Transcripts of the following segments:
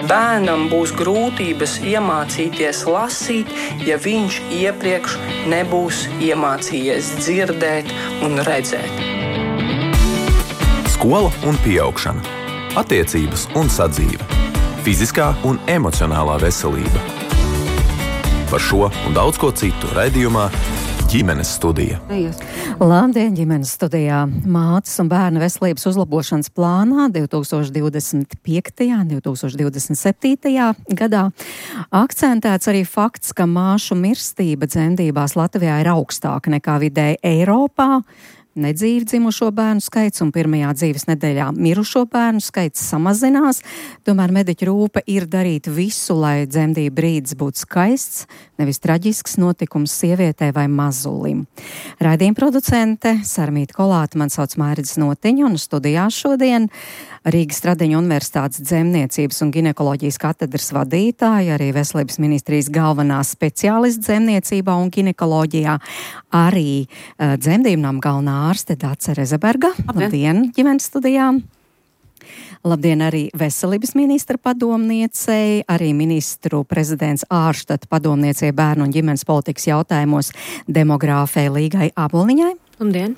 Bērnam būs grūtības iemācīties lasīt, ja viņš iepriekš nebūs iemācījies dzirdēt un redzēt. Skola un pieaugšana, attiecības un sadzīve, fiziskā un emocionālā veselība. Par šo un daudz ko citu raidījumā Ģimenes studija. Labdien, ģimenes studijā. Mātes un bērnu veselības uzlabošanas plānā 2025. un 2027. gadā akcentēts arī fakts, ka māšu mirstība dzemdībās Latvijā ir augstāka nekā vidēji Eiropā. Nedzīvi dzimušo bērnu skaits un pirmajā dzīves nedēļā mirušo bērnu skaits samazinās, tomēr mediķu rūpe ir darīt visu, lai dzemdību brīdis būtu skaists, nevis traģisks notikums sievietē vai mazulim. Raidījuma producente Sarmīta Kolāte, man sauc Mairidis Notiņa, un studijā šodien Rīgas Stradiņu Universitātes dzemniecības un ginekoloģijas katedras vadītāja, arī Veselības ministrijas galvenā speciālista dzemniecībā un ginekoloģijā, arī dzemdību nama galvenā ārste Dace Rezeberga. Labdien, ģimenes studijā! Labdien arī Veselības ministra padomniecei, arī ministru prezidents ārštata padomniecei bērnu un ģimenes politikas jautājumos demogrāfei Līgai Aboliņai. Labdien!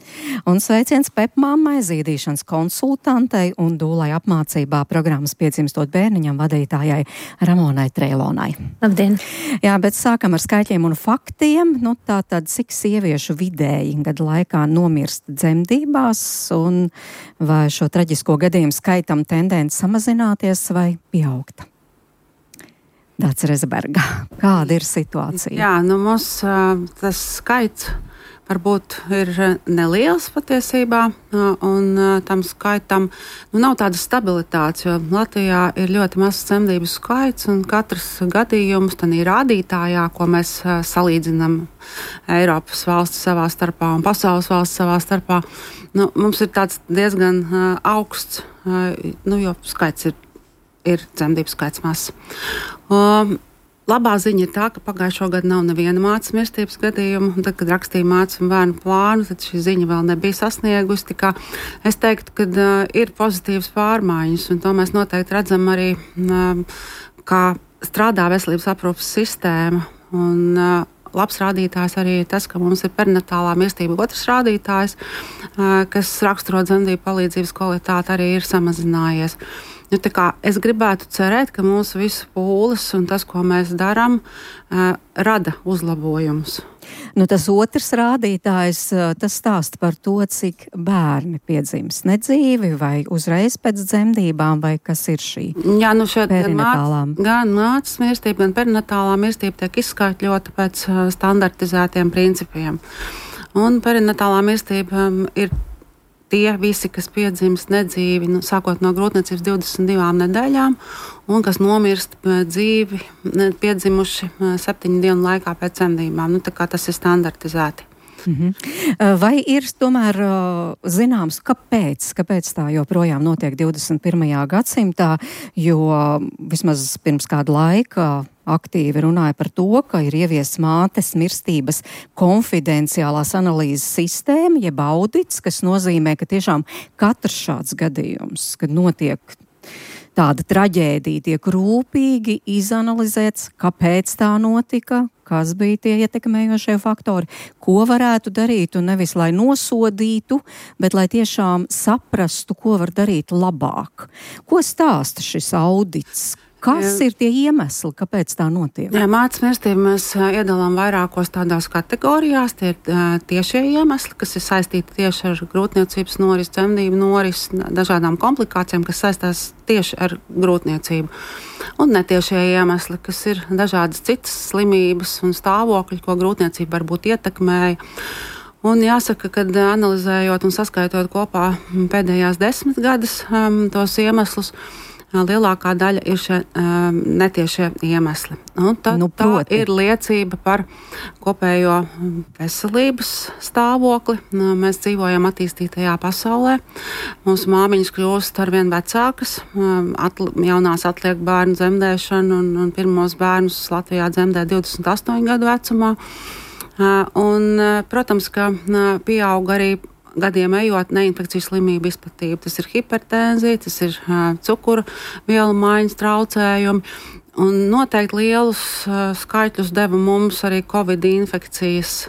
Un sveiciens pepmammai, zīdīšanas konsultantei un dūlai apmācībā programmas Piedzimstot bērniņam vadītājai Ramonai Treilonai. Labdien! Jā, bet sākam ar skaitļiem un faktiem. Tātad, cik sieviešu vidēji gadu laikā nomirst dzemdībās un vai šo traģisko gadījumu skaitam tendence samazināties vai pieaugt? Dace Rezeberga, kāda ir situācija? Jā, mums tas skaits varbūt ir neliels patiesībā, un tam skaitam nav tādas stabilitātes, jo Latvijā ir ļoti mazs dzemdību skaits, un katrs gadījums tādā rādītājā, ko mēs salīdzinām Eiropas valsts savā starpā un pasaules valsts savā starpā, mums ir tāds diezgan augsts, jo skaits ir dzemdību skaits mazs. Labā ziņa ir tā, ka pagājušo gadu nav neviena mātes mirstības gadījuma. Tad, kad rakstīja mātes un bērnu plānu, tad šī ziņa vēl nebija sasniegusi. Es teiktu, ka ir pozitīvas pārmaiņas, un to mēs noteikti redzam arī, kā strādā veselības aprūpes sistēma. Un, labs rādītājs arī ir tas, ka mums ir perinatālā mirstība otrs rādītājs, kas raksturo dzemdību palīdzības kvalitāti, arī ir samazinājies. Es gribētu cerēt, ka mūsu visu pūles un tas, ko mēs darām, rada uzlabojumus. Tas otrs rādītājs, tas stāsta par to, cik bērni piedzimst nedzīvi vai uzreiz pēc dzemdībām, vai kas ir šī perinatālā. Gan mātes mirstība, gan perinatālā mirstība tiek izskaitļota pēc standartizētiem principiem. Un perinatālā mirstība ir tie visi, kas piedzimst nedzīvi, sākot no grūtniecības 22 nedēļām, un kas nomirst dzīvi, piedzimuši 7 dienu laikā pēc dzemdībām. Tas ir standartizēti. Vai ir tomēr zināms, kāpēc tā joprojām notiek 21. gadsimtā, jo vismaz pirms kāda laika aktīvi runāja par to, ka ir ieviests mātes mirstības konfidenciālās analīzes sistēma, jeb audits, kas nozīmē, ka tiešām katrs šāds gadījums, kad notiek tāda traģēdija, tiek rūpīgi izanalizēts, kāpēc tā notika, kas bija tie ietekmējošie faktori, ko varētu darīt, un nevis lai nosodītu, bet lai tiešām saprastu, ko var darīt labāk. Ko stāsta šis audits? Kas ir tie iemesli, kāpēc tā notiek? Jā, mātes mirstību mēs iedalām vairākos tādās kategorijās. Tie ir tiešie iemesli, kas ir saistīti tieši ar grūtniecības norisi, dzemdību norisi, dažādām komplikācijām, kas saistās tieši ar grūtniecību. Un netiešie iemesli, kas ir dažādas citas slimības un stāvokļi, ko grūtniecība varbūt ietekmēja. Un jāsaka, ka analizējot un saskaitot kopā pēdējās 10 gadus tos iemeslus, lielākā daļa ir šie netiešie iemesli. Tā ir liecība par kopējo veselības stāvokli. Mēs dzīvojam attīstītajā pasaulē. Mūsu māmiņas kļūst arvien vecākas. Jaunās atliek bērnu dzemdēšanu un pirmos bērnus Latvijā dzemdē 28 gadu vecumā. Protams, ka pieaug arī gadiem ejot neinfekcijas slimību izplatību. Tas ir hipertenzija, tas ir cukura vielu maiņas traucējumi. Un noteikti lielus skaitļus deva mums arī Covid infekcijas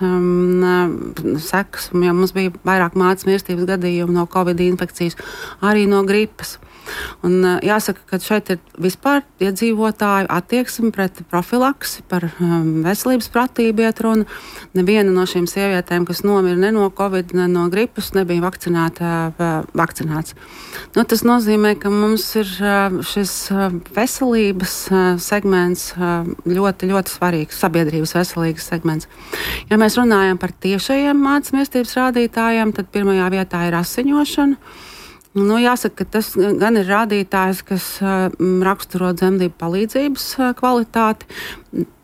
sekas. Ja mums bija vairāk mātes mirstības gadījumu no Covid infekcijas, arī no gripas. Un jāsaka, ka šeit ir vispār iedzīvotāju attieksme pret profilaksi, par veselības pratību iet runa. Neviena no šīm sievietēm, kas nomira ne no Covid, ne no gripas, nebija vakcinēts. Tas nozīmē, ka mums ir šis veselības segments ļoti, ļoti svarīgs, sabiedrības veselīgs segments. Ja mēs runājam par tiešajiem mātes mirstības rādītājiem, tad pirmajā vietā ir asiņošana. Jāsaka, ka tas gan ir rādītājs, kas raksturo dzemdību palīdzības kvalitāti.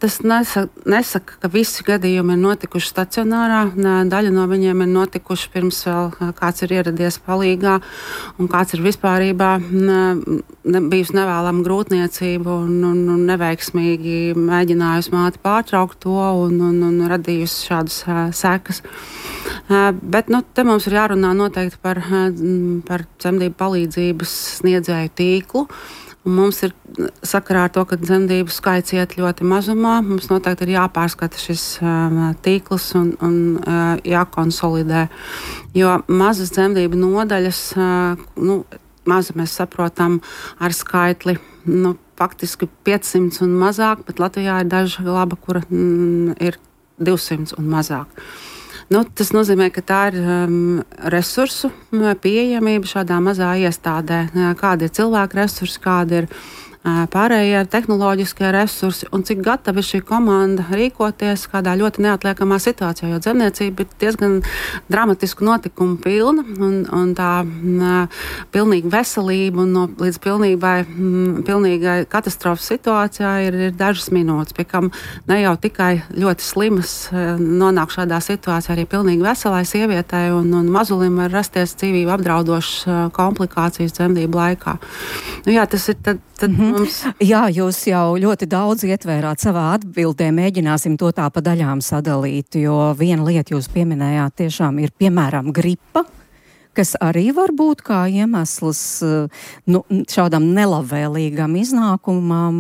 Tas nesaka, ka visi gadījumi ir notikuši stacionārā. Daļa no viņiem ir notikuši pirms vēl kāds ir ieradies palīgā un kāds ir vispārībā bijusi nevēlama grūtniecība un neveiksmīgi mēģinājusi māte pārtraukt to un radījusi šādas sekas. Bet te mums ir jārunā noteikti par dzemdību palīdzības sniedzēju tīklu. Un mums ir sakarā ar to, ka dzemdību skaits iet ļoti mazumā. Mums noteikti ir jāpārskata šis tīkls un jākonsolidē. Jo mazas dzemdību nodaļas, maza mēs saprotam ar skaitli, faktiski 500 un mazāk, bet Latvijā ir daža laba, kura ir 200 un mazāk. Tas nozīmē, ka tā ir resursu pieejamība šādā mazā iestādē. Kādi ir cilvēku resursi, kādi ir pārējie tehnoloģiskie resursi un cik gatava ir šī komanda rīkoties kādā ļoti neatliekamā situācijā, jo dzemdniecība ir diezgan dramatisku notikumu pilna un tā pilnīga veselība un līdz pilnīgai katastrofas situācijā ir dažas minūtes, pie kam ne jau tikai ļoti slimas nonāk šādā situācijā, arī pilnīgi veselai sievietei un mazulim var rasties dzīvību apdraudošas komplikācijas dzemdību laikā. Tas ir tad mums... Jā, jūs jau ļoti daudz ietvērāt savā atbildē, mēģināsim to tā pa daļām sadalīt, jo viena lieta jūs pieminējāt tiešām ir, piemēram, gripa, kas arī var būt kā iemesls šādam nelabvēlīgam iznākumam,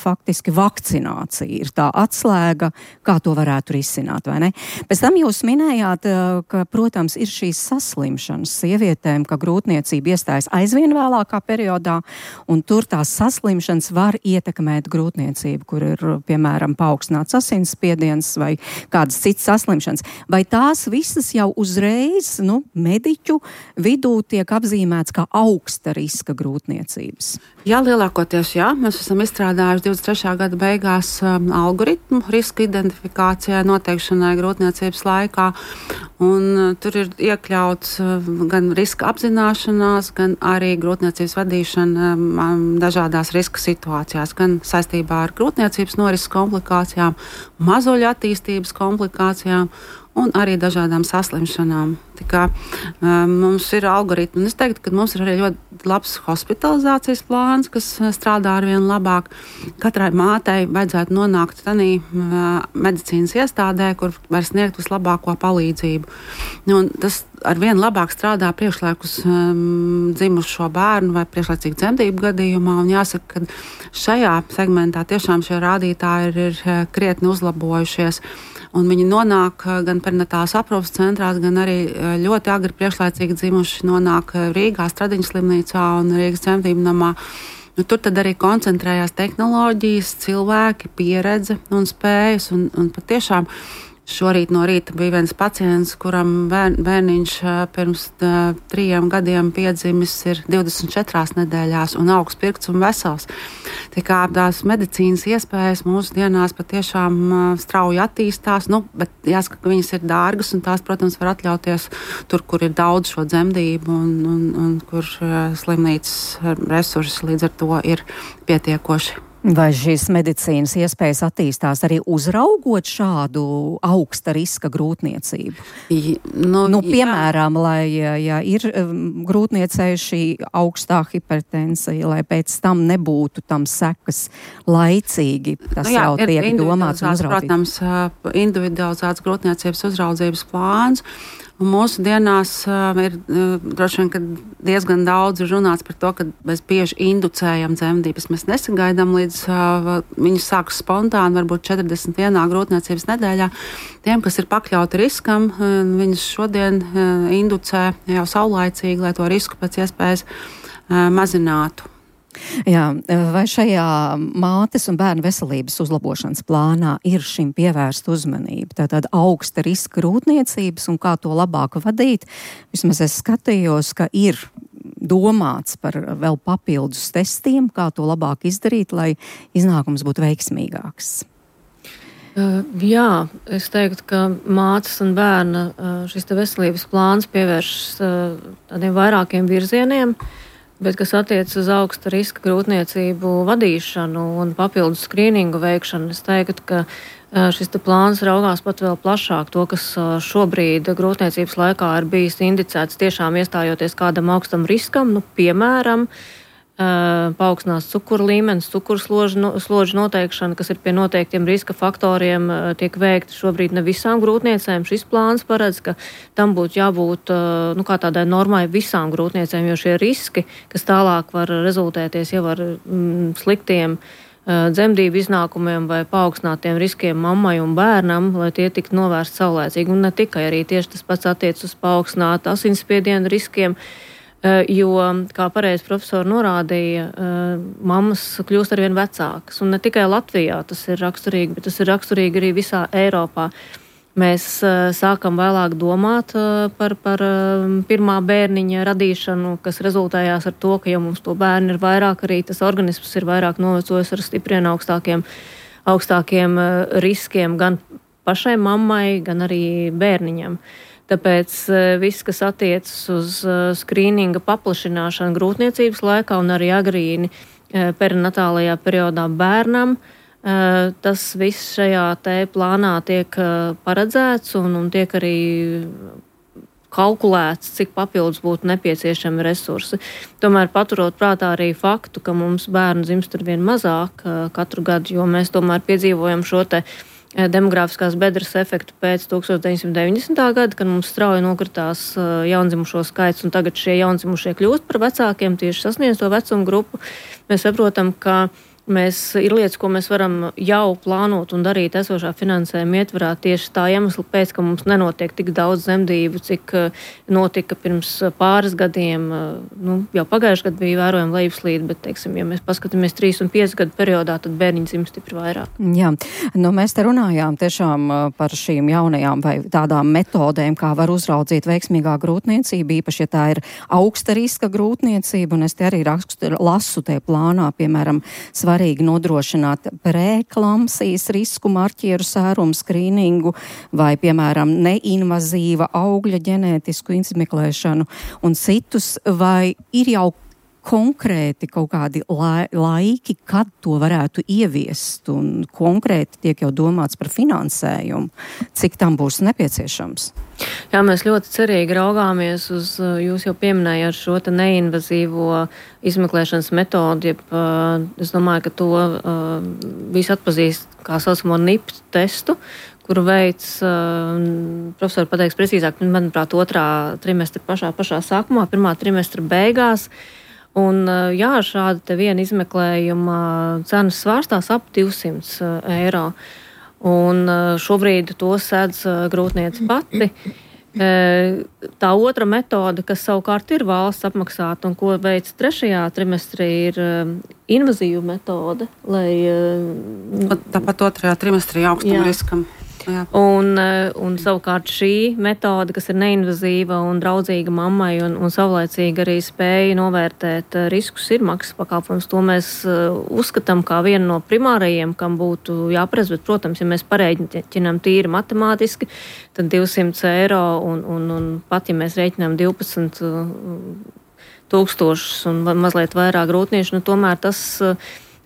faktiski vakcinācija ir tā atslēga, kā to varētu risināt, vai ne? Pēc tam jūs minējāt, ka, protams, ir šīs saslimšanas sievietēm, ka grūtniecība iestājas aizvien vēlākā periodā, un tur tās saslimšanas var ietekmēt grūtniecību, kur ir, piemēram, paaugstināts asinsspiediens vai kādas citas saslimšanas. Vai tās visas jau uzreiz, mediķu vidū tiek apzīmēts kā augsta riska grūtniecības? Jā, lielākoties jā. Mēs esam izstrādājuši 23. gada beigās algoritmu riska identifikācijai noteikšanai grūtniecības laikā. Un tur ir iekļauts gan riska apzināšanās, gan arī grūtniecības vadīšana dažādās riska situācijās, gan saistībā ar grūtniecības norises komplikācijām, mazuļu attīstības komplikācijām un arī dažādām saslimšanām. Tā kā mums ir algoritmi, un es teiktu, ka mums ir arī ļoti labs hospitalizācijas plāns, kas strādā arvien labāk. Katrai mātei vajadzētu nonākt tādā medicīnas iestādē, kur var sniegt vislabāko palīdzību. Un tas arvien labāk strādā priekšlaikus dzimušo bērnu vai priekšlaicīgu dzemdību gadījumā, un jāsaka, ka šajā segmentā tiešām šie rādītāji ir krietni uzlabojušies. Un viņi nonāk gan perinatālās aprūpes centrās, gan arī ļoti agri priekšlaicīgi dzimuši nonāk Rīgā, Stradiņu slimnīcā un Rīgas dzemdību namā. Tur tad arī koncentrējās tehnoloģijas, cilvēki, pieredze un spējas. Un patiešām šorīt no rīta bija viens pacients, kuram bērniņš pirms 3 gadiem piedzimis ir 24 nedēļās un augsts pirkts un vesels. Tā kā tās medicīnas iespējas mūsu dienās patiešām strauji attīstās, bet jāsaka, ka viņas ir dārgas un tās, protams, var atļauties tur, kur ir daudz šo dzemdību un kur slimnīcas resursi līdz ar to ir pietiekoši. Vai šīs medicīnas iespējas attīstās arī uzraugot šādu augsta riska grūtniecību? Piemēram, lai ja ir grūtniecei šī augstā hipertensija, lai pēc tam nebūtu tam sekas laicīgi, tas jau tiek domāts un uzraudzīts. Protams, individualizēts grūtniecības uzraudzības plāns. Un mūsu dienās ir droši vien diezgan daudz runāts par to, ka mēs bieži inducējam dzemdības. Mēs nesagaidām līdz viņas sākas spontāni, varbūt 41. grūtniecības nedēļā. Tiem, kas ir pakļauti riskam, viņas šodien inducē jau saulaicīgi, lai to risku pēc iespējas mazinātu. Jā, vai šajā mātes un bērnu veselības uzlabošanas plānā ir šim pievērsta uzmanība? Tātad augsta riska grūtniecības un kā to labāk vadīt? Vismaz es skatījos, ka ir domāts par vēl papildus testiem, kā to labāk izdarīt, lai iznākums būtu veiksmīgāks. Jā, es teiktu, ka mātes un bērna šis te veselības plāns pievēršas tādiem vairākiem virzieniem. Bet, kas attiecas uz augsta riska grūtniecību vadīšanu un papildus skrīningu veikšanu, es teiktu, ka šis te plāns raugās pat vēl plašāk to, kas šobrīd grūtniecības laikā ir bijis indicēts tiešām iestājoties kādam augstam riskam, piemēram, paaugstinās cukuru līmenis, cukurslodžu noteikšana, kas ir pie noteiktiem riska faktoriem, tiek veikti šobrīd ne visām grūtniecēm. Šis plāns paredz, ka tam būtu jābūt kā tādai normai visām grūtniecēm, jo šie riski, kas tālāk var rezultēties jau ar sliktiem dzemdību iznākumiem vai paaugstinātiem riskiem mammai un bērnam, lai tie tiktu novērsti saulēcīgi. Un ne tikai arī tieši tas pats attiec uz paaugstinātu asinsspiedienu riskiem, jo, kā pareizi profesori norādīja, mammas kļūst arvien vecākas. Un ne tikai Latvijā tas ir raksturīgi, bet tas ir raksturīgi arī visā Eiropā. Mēs sākam vēlāk domāt par pirmā bērniņa radīšanu, kas rezultējās ar to, ka jau mums to bērnu ir vairāk, arī tas organisms ir vairāk novecojis ar stipriem augstākiem riskiem gan pašai mammai, gan arī bērniņam. Tāpēc viss, kas attiecas uz skrīninga paplašināšanu grūtniecības laikā un arī agrīni perinatālajā periodā bērnam, tas viss šajā te plānā tiek paredzēts un tiek arī kalkulēts, cik papildus būtu nepieciešami resursi. Tomēr paturot prātā arī faktu, ka mums bērnu dzimst arvien mazāk katru gadu, jo mēs tomēr piedzīvojam šo te demografiskās bedres efektu pēc 1990. gada, kad mums strauji nokritās jaundzimušo skaits, un tagad šie jaundzimušie kļūst par vecākiem, tieši sasniedz to vecumu grupu. Mēs saprotam, ka ir lietas, ko mēs varam jau plānot un darīt esošā finansējuma ietvarā tieši tā iemesla pēc, ka mums nenotiek tik daudz dzemdību, cik notika pirms pāris gadiem. Jau pagājuši gadu bija vērojama lejupslīde, bet, teiksim, ja mēs paskatāmies 3 un 5 gadu periodā, tad bērniņi dzimst stipri vairāk. Jā, mēs te runājām tiešām par šīm jaunajām vai tādām metodēm, kā var uzraudzīt veiksmīgā grūtniecība, īpaši, ja tā ir augsta riska grūtniecība, un es te arī lasu te plānā, piemēram, svarīgi nodrošināt preeklamsijas risku marķieru sērumu skrīningu vai, piemēram, neinvazīva augļa ģenētisku izmeklēšanu un citus, vai ir jau konkrēti kaut kādi laiki, kad to varētu ieviest, un konkrēti tiek jau domāts par finansējumu, cik tam būs nepieciešams? Jā, mēs ļoti cerīgi raugāmies uz, jūs jau pieminējāt šo te neinvazīvo izmeklēšanas metodi, es domāju, ka to visi atpazīst kā saucamo NIPT testu, kuru veids, profesori pateiks precīzāk, manuprāt, 2. trimestra pašā sākumā, 1. trimestra beigās. Un jā, šāda te viena izmeklējuma cenas svārstās ap 200 eiro. Un šobrīd to sedz grūtniece pati. Tā otra metode, kas savukārt ir valsts apmaksāta un ko veic 3. trimestrī, ir invazīva metode, lai... Tāpat 2. trimestrī augstam riskam. Jā. Un savukārt šī metode, kas ir neinvazīva un draudzīga mammai un savlaicīgi arī spēja novērtēt riskus, ir maksas pakalpojums. To mēs uzskatām kā vienu no primārajiem, kam būtu jāparedz, bet, protams, ja mēs pareiķinām tīri matemātiski, tad 200 eiro un pat, ja mēs reiķinām 12 tūkstošus un mazliet vairāk grūtniešu, tomēr tas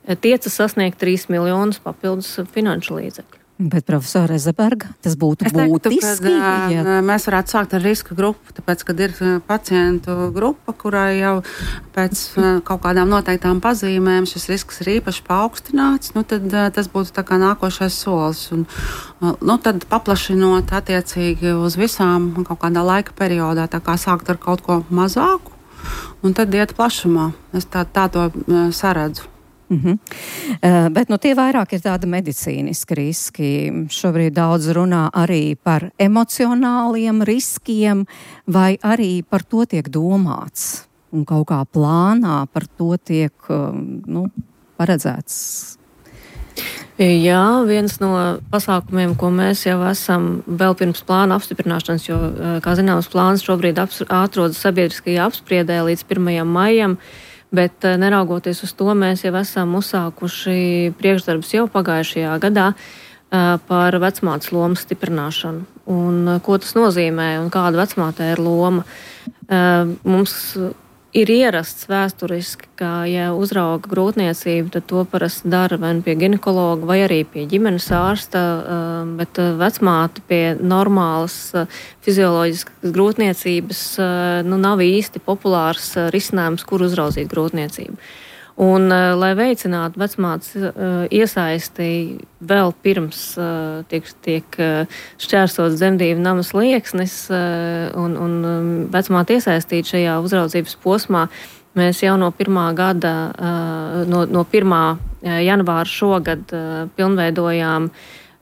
tiecas sasniegt 3 miljonus papildus finanšu līdzekļu. Bet, profesora Ezeberga, tas būtu būtiski? Mēs varētu sākt ar riska grupu, tāpēc, kad ir pacientu grupa, kurai jau pēc kaut kādām noteiktām pazīmēm šis risks ir īpaši paaugstināts, tad tas būtu tā kā nākošais solis. Un, tad paplašinot attiecīgi uz visām kaut kādā laika periodā, tā kā sākt ar kaut ko mazāku, un tad iet plašumā. Es tā to saredzu. Bet tie vairāk ir tādi medicīniski riski. Šobrīd daudz runā arī par emocionāliem riskiem, vai arī par to tiek domāts un kaut kā plānā par to tiek paredzēts. Jā, viens no pasākumiem, ko mēs jau esam vēl pirms plāna apstiprināšanas, jo, kā zināms, plāns šobrīd atrodas sabiedriskajā apspriedē līdz 1. maijam, bet neraugoties uz to, mēs jau esam uzsākuši priekšdarbus jau pagājušajā gadā par vecmātes lomas stiprināšanu. Un ko tas nozīmē un kāda vecmātei ir loma? Mums ir ierasts vēsturiski, ka, ja uzrauga grūtniecību, tad to parasti dara vai pie ginekologa vai arī pie ģimenes ārsta, bet vecmāte pie normālas fizioloģiskas grūtniecības nav īsti populārs risinājums, kur uzraudzīt grūtniecību. Un, lai veicinātu vecmātes iesaisti vēl pirms tiek šķērsots dzemdību nama slieksnis un vecmāte iesaistīt šajā uzraudzības posmā, mēs jau no 1. gada, no 1. janvāra šogad pilnveidojām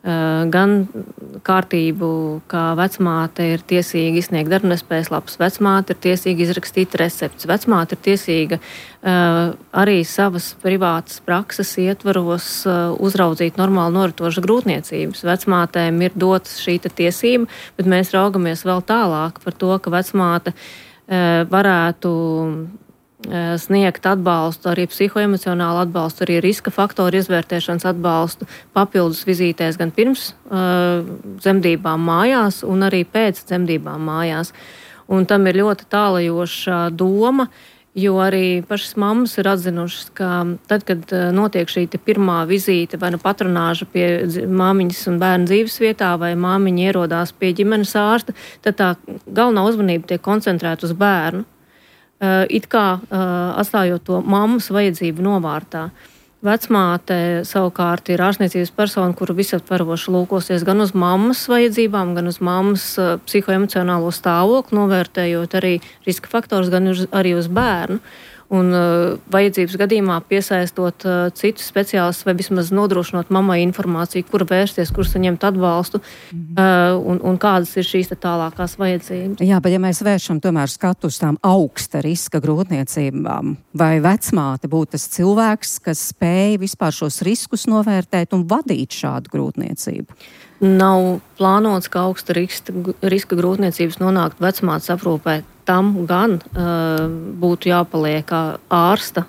gan kārtību, kā vecmāte ir tiesīga izsniegt darbnespējas lapas, vecmāte ir tiesīga izrakstīt receptes, vecmāte ir tiesīga arī savas privātas prakses ietvaros uzraudzīt normāli noritošas grūtniecības. Vecmātēm ir dotas šī tiesība, bet mēs raugamies vēl tālāk par to, ka vecmāte varētu sniegt atbalstu, arī psihoemocionālu atbalstu, arī riska faktoru izvērtēšanas atbalstu papildus vizītēs gan pirms dzemdībām mājās un arī pēc dzemdībām mājās. Un tam ir ļoti tālajoša doma, jo arī pašas mammas ir atzinušas, ka tad, kad notiek šī pirmā vizīte vai patronāža pie māmiņas un bērna dzīves vietā vai māmiņa ierodās pie ģimenes ārsta, tad tā galvenā uzmanība tiek koncentrēta uz bērnu. It kā atstājot to mammas vajadzību novārtā. Vecmāte savukārt ir ārstniecības persona, kura visaptveroši lūkosies gan uz mammas vajadzībām, gan uz mammas psihoemocionālo stāvokli, novērtējot arī riska faktors, gan arī uz bērnu. Un vajadzības gadījumā piesaistot citus speciālistus vai vismaz nodrošinot mammai informāciju, kur vērsties, kur saņemt atbalstu un kādas ir šīs tālākās vajadzības. Jā, bet ja mēs vēršam tomēr skatu uz tām augsta riska grūtniecībām, vai vecmāte būtu tas cilvēks, kas spēja vispār šos riskus novērtēt un vadīt šādu grūtniecību? Nav plānots, ka augsta riska grūtniecības nonākt vecmātes aprūpē. Tam gan būtu jāpaliek ārsta,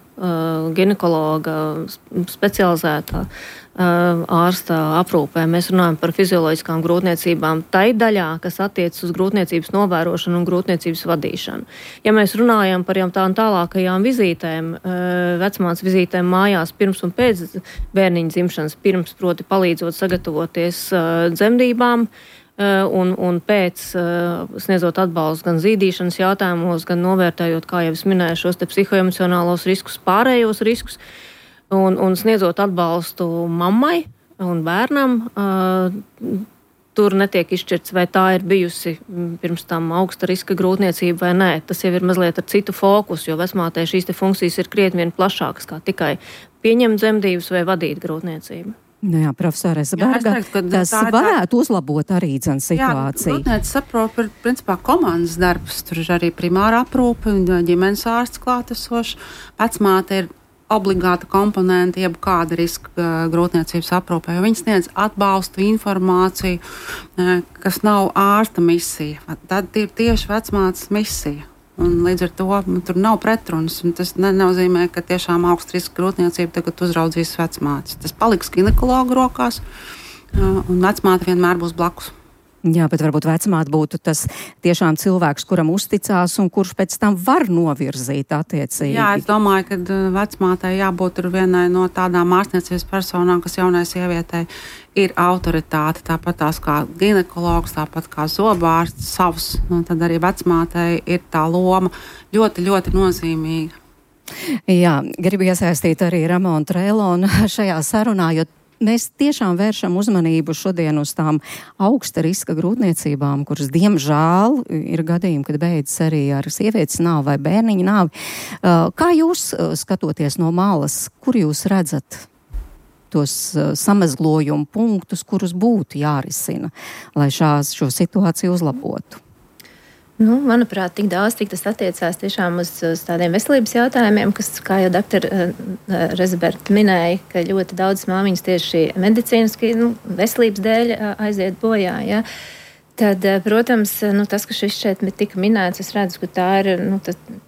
ginekologa, specializētā ārsta aprūpē. Mēs runājam par fizioloģiskām grūtniecībām tai daļā, kas attiecas uz grūtniecības novērošanu un grūtniecības vadīšanu. Ja mēs runājam par jau tām tālākajām vizītēm, vecmātes vizītēm mājās pirms un pēc bērniņa dzimšanas, pirms proti palīdzot sagatavoties dzemdībām, un pēc sniedzot atbalstu gan zīdīšanas jautājumos, gan novērtējot, kā jau es minēju, šos psihoemocionālos riskus, pārējos riskus, un sniedzot atbalstu mammai un bērnam, tur netiek izšķirts, vai tā ir bijusi pirms tam augsta riska grūtniecība vai nē. Tas jau ir mazliet ar citu fokusu, jo vecmātei šīs funkcijas ir krietni vien plašākas, kā tikai pieņemt dzemdības vai vadīt grūtniecību. Jā, profesora Ezeberga, tas varētu uzlabot arī situāciju. Grūtniecības aprūpe ir principā komandas darbs. Tur ir arī primāra aprūpe, ģimenes ārsts klātesošs. Vecmāte ir obligāta komponente, jeb kāda riska grūtniecības aprūpē, jo viņi sniedz atbalstu, informāciju, kas nav ārsta misija. Tad ir tieši vecmātes misija. Un līdz ar to tur nav pretrunas. Tas nenozīmē, ka tiešām augsta riska grūtniecība tagad uzraudzīs vecmātes. Tas paliks ginekologu rokās, un vecmāte vienmēr būs blakus. Jā, bet varbūt vecmāte būtu tas tiešām cilvēks, kuram uzticās un kurš pēc tam var novirzīt attiecīgi. Jā, es domāju, ka vecmātei jābūt vienai no tādām ārstniecības personām, kas jaunai sievietei ir autoritāte, tāpat tās kā ginekologs, tāpat kā zobārsts savs, tad arī vecmātei ir tā loma ļoti, ļoti nozīmīga. Jā, gribu iesaistīt arī Ramonu Trēlonu šajā sarunā, jo mēs tiešām vēršam uzmanību šodien uz tām augsta riska grūtniecībām, kuras, diemžēl, ir gadījumi, kad beidzas arī ar sievietes nāvi vai bērniņa nāvi. Kā jūs skatoties no malas, kur jūs redzat tos samezglojumu punktus, kurus būtu jārisina, lai šo situāciju uzlabotu? Manuprāt, tik daudz, cik tas attiecās tiešām uz tādiem veselības jautājumiem, kas, kā jau doktora Rezeberta minēja, ka ļoti daudz māmiņas tieši medicīniski veselības dēļ aiziet bojā. Ja? Tad, protams, tas, ka šis šeit tika minēts, es redzu, ka tā ir,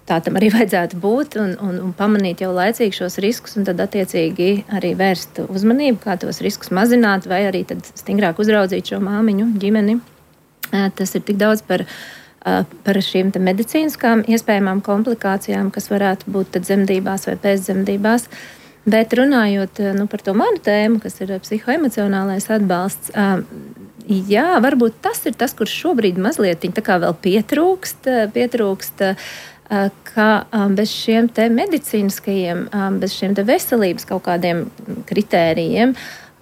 tā tam arī vajadzētu būt un pamanīt jau laicīgi šos riskus un tad attiecīgi arī vērst uzmanību, kā tos riskus mazināt vai arī tad stingrāk uzraudzīt šo māmiņu ģimeni. Tas ir tik daudz par šīm medicīniskām iespējamām komplikācijām, kas varētu būt tad dzemdībās vai pēcdzemdībās. Bet runājot par to manu tēmu, kas ir psihoemocionālais atbalsts, jā, varbūt tas ir tas, kurš šobrīd mazliet tā kā vēl pietrūkst, ka bez šiem te medicīniskajiem, bez šiem te veselības kaut kādiem kritērijiem,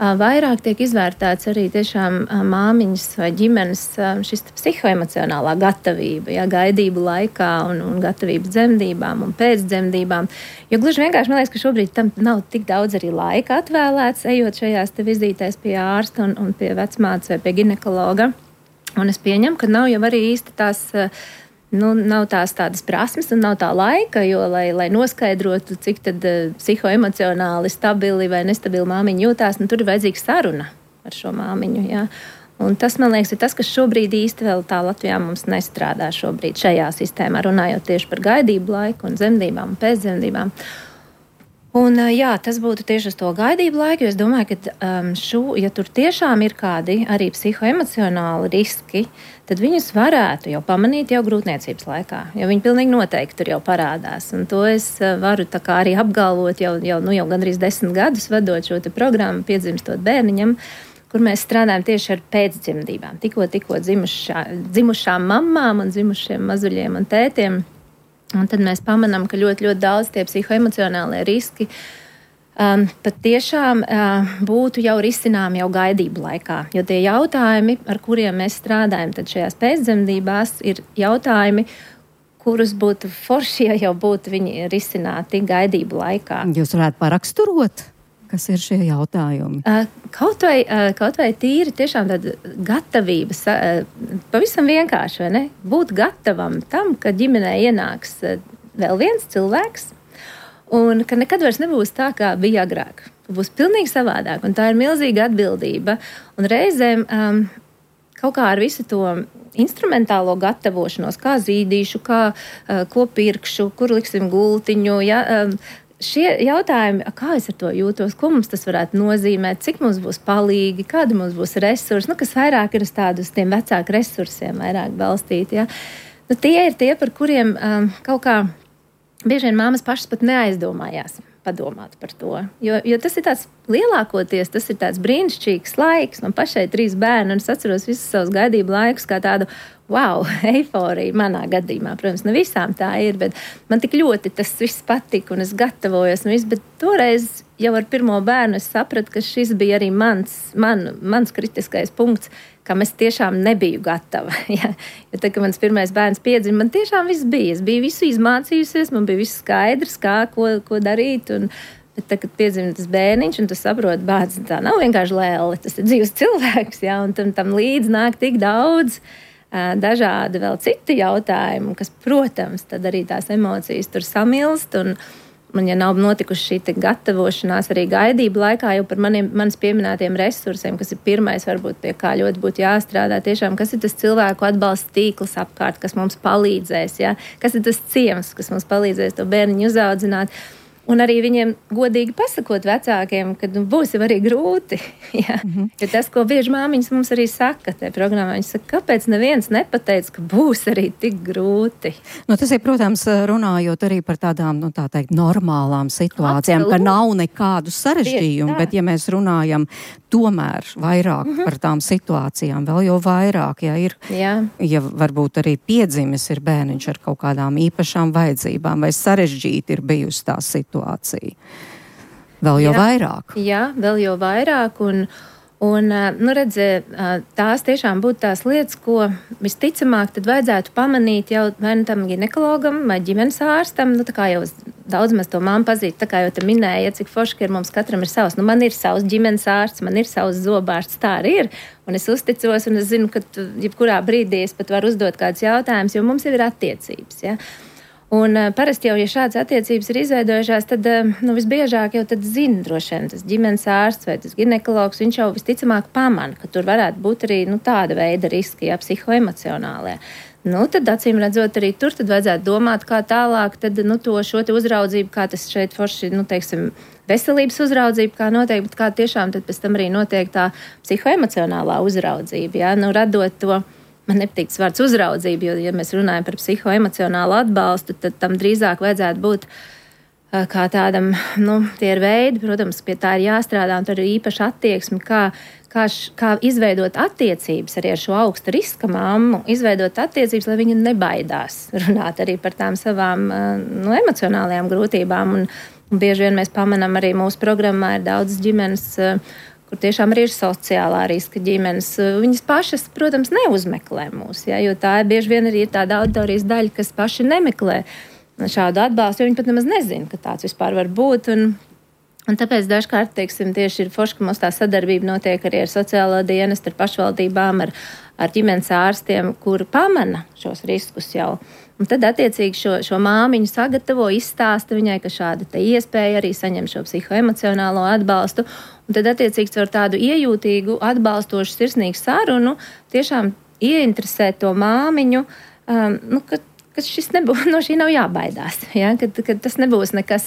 vairāk tiek izvērtēts arī tiešām māmiņas vai ģimenes šis psihoemocionālā gatavība, ja, gaidību laikā un gatavība dzemdībām un pēcdzemdībām. Jo gluži vienkārši man liekas, ka šobrīd tam nav tik daudz arī laika atvēlēts, ejot šajās te vizītēs pie ārsta un pie vecmātes vai pie ginekologa. Un es pieņemu, ka nav jau arī īsti tās nav tādas prasmes un nav tā laika, jo, lai noskaidrotu, cik tad psihoemocionāli stabili vai nestabili māmiņa jūtās, tur ir vajadzīga saruna ar šo māmiņu. Jā. Un tas, man liekas, ir tas, kas šobrīd īsti vēl tā Latvijā mums nestrādā šobrīd šajā sistēmā, runājot tieši par gaidību laiku un dzemdībām un pēcdzemdībām. Un, jā, tas būtu tieši uz to gaidību laiku, jo es domāju, ka ja tur tiešām ir kādi arī psihoemocionāli riski, tad viņus varētu jau pamanīt jau grūtniecības laikā, jo viņi pilnīgi noteikti tur jau parādās. Un to es varu tā kā arī apgalvot jau gandrīz 10 gadus vedot šo te programmu Piedzimstot bērniņam, kur mēs strādājam tieši ar pēcdzemdībām, tikko dzimušām mammām un dzimušiem mazuļiem un tētiem. Un tad mēs pamanām, ka ļoti, ļoti daudz tie psihoemocionālie riski pat tiešām būtu jau risinām jau gaidību laikā. Jo tie jautājumi, ar kuriem mēs strādājam tad šajās pēcdzemdībās, ir jautājumi, kurus būtu forši, ja jau būtu viņi risināti gaidību laikā. Jūs varētu paraksturot, kas ir šie jautājumi? Kaut vai tīri tiešām tāda gatavības, pavisam vienkārši, vai ne? Būt gatavam tam, ka ģimenē ienāks vēl viens cilvēks, un ka nekad vairs nebūs tā, kā bija agrāk. Būs pilnīgi savādāk, un tā ir milzīga atbildība. Un reizēm kaut kā ar visu to instrumentālo gatavošanos, kā zīdīšu, ko pirkšu, kur liksim gultiņu, šie jautājumi, kā es ar to jūtos, ko mums tas varētu nozīmēt, cik mums būs palīgi, kādi mums būs resursi, kas vairāk ir uz tiem vecāku resursiem vairāk balstīti. Ja? Tie ir tie, par kuriem kaut kā bieži vien māmas pašas pat neaizdomājās padomāt par to. Jo tas ir tāds lielākoties, tas ir tāds brīnišķīgs laiks. Man pašai 3 bērni, un es atceros visus savus gaidību laikus kā tādu eiforiju manā gadījumā. Protams, ne visām tā ir, bet man tik ļoti tas viss patika, un es gatavojos, bet toreiz jau ar pirmo bērnu es sapratu, ka šis bija arī mans kritiskais punkts, kam es tiešām nebiju gatava. Ja? Jo tad, kad mans pirmais bērns piedzima, man tiešām viss bija. Es biju visu izmācījusies, man bija viss skaidrs, ko darīt, bet tad, kad piedzima tas bērniņš, un tu saproti, bērns tā nav vienkārši lēle, tas ir dzīves cilvēks, ja? Un tam līdz nāk tik daudz dažādi vēl citi jautājumi, kas, protams, tad arī tās emocijas tur samilst, un ja nav notikuši šī gatavošanās arī gaidību laikā jau par manis pieminētiem resursiem, kas ir pirmais, varbūt pie kā ļoti būtu jāstrādā tiešām, kas ir tas cilvēku atbalsta tīkls apkārt, kas mums palīdzēs, ja? Kas ir tas ciems, kas mums palīdzēs to bērniņu uzaudzināt. Un arī viņiem godīgi pasakot vecākiem, ka būs jau arī grūti. Ja? Jo tas, ko bieži māmiņas mums arī saka tajā programmā, viņi saka, kāpēc neviens nepateica, ka būs arī tik grūti. Tas ir, protams, runājot arī par tādām, tā teikt, normālām situācijām, ka nav nekādu sarežģījumu, bet ja mēs runājam tomēr vairāk par tām situācijām, vēl jau vairāk, ja varbūt arī piedzimis ir bērniņš ar kaut kādām īpašām vajadzībām vai sarežģīti ir bijusi tā situācija. Vēl jau vairāk. Jā, vēl jau vairāk un redzi, tās tiešām būtu tās lietas, ko visticamāk tad vajadzētu pamanīt jau vai tam ginekologam vai ģimenes ārstam, tā kā jau daudz mēs to māmu pazīst, tā kā jau te minēja, cik forši, ka mums katram ir savs. Man ir savs ģimenes ārsts, man ir savs zobārsts, tā arī ir. Un es uzticos un es zinu, ka jebkurā brīdī es pat varu uzdot kādus jautājumus, jo mums jau ir attiecības, ja. Un parasti jau, ja šādas attiecības ir izveidojušās, tad visbiežāk jau tad zina droši vien tas ģimenes ārsts vai tas ginekologs, viņš jau visticamāk pamana, ka tur varētu būt arī tāda veida riski, psihoemocionālie. Tad acīm redzot arī tur, tad vajadzētu domāt, kā tālāk tad, šo te uzraudzību, kā tas šeit forši, teiksim, veselības uzraudzība, kā notiek, bet kā tiešām tad pēc tam arī notiek tā psihoemocionālā uzraudzība, ja, radot to. Man nepatīk tas vārds uzraudzība, jo, ja mēs runājam par psihoemocionālu atbalstu, tad tam drīzāk vajadzētu būt kā tādam, tie ir veidi, protams, pie tā ir jāstrādā, un tur ir īpaši attieksmi, kā izveidot attiecības arī ar šo augsta riska mammu, izveidot attiecības, lai viņa nebaidās runāt arī par tām savām emocionālajām grūtībām, un bieži vien mēs pamanām arī mūsu programmā ir daudzas ģimenes, kur tiešām arī ir sociālā riska ģimenes. Viņas pašas, protams, neuzmeklē mūs, ja, jo tā bieži vien arī ir tāda auditorijas daļa, kas paši nemeklē šādu atbalstu, jo viņi pat nemaz nezina, ka tāds vispār var būt. Un tāpēc dažkārt, teiksim, tieši ir forši, ka mums tā sadarbība notiek arī ar sociālo dienestu, ar pašvaldībām, ar ģimenes ārstiem, kuri pamana šos riskus jau. Un tad, attiecīgi, šo māmiņu sagatavo, izstāsta viņai, ka šāda te iespēja arī saņem šo psihoemocionālo atbalstu. Un tad, attiecīgi, ar tādu iejūtīgu, atbalstošu, sirsnīgu sarunu tiešām ieinteresēt to māmiņu, ka šis nebūs, no šī nav jābaidās, ja? Ka tas nebūs nekas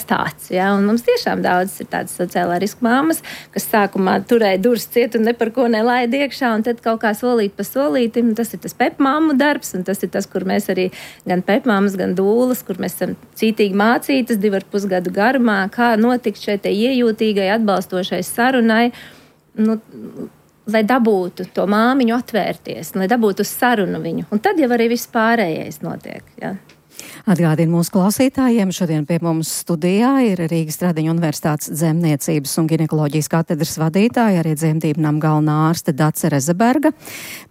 tāds. Ja? Un mums tiešām daudz ir tādas sociālā riska māmas, kas sākumā turēja durvis ciet un ne par ko nelaida iekšā, un tad kaut kā solīt pa solītim. Tas ir tas pepmāmu darbs, un tas ir tas, kur mēs arī gan pepmāmas, gan dūlas, kur mēs esam cītīgi mācītas 2,5 gadu garumā, kā notikt šai te iejūtīgai, atbalstošai sarunai, lai dabūtu to māmiņu atvērties, lai dabūtu uz sarunu viņu. Un tad jau arī viss pārējais notiek. Ja. Atgādinu mūsu klausītājiem, šodien pie mums studijā ir Rīgas Tradiņu Universitātes dzemniecības un ginekoloģijas katedras vadītāja, arī dzemdību nama galvenā ārste Dace Rezeberga.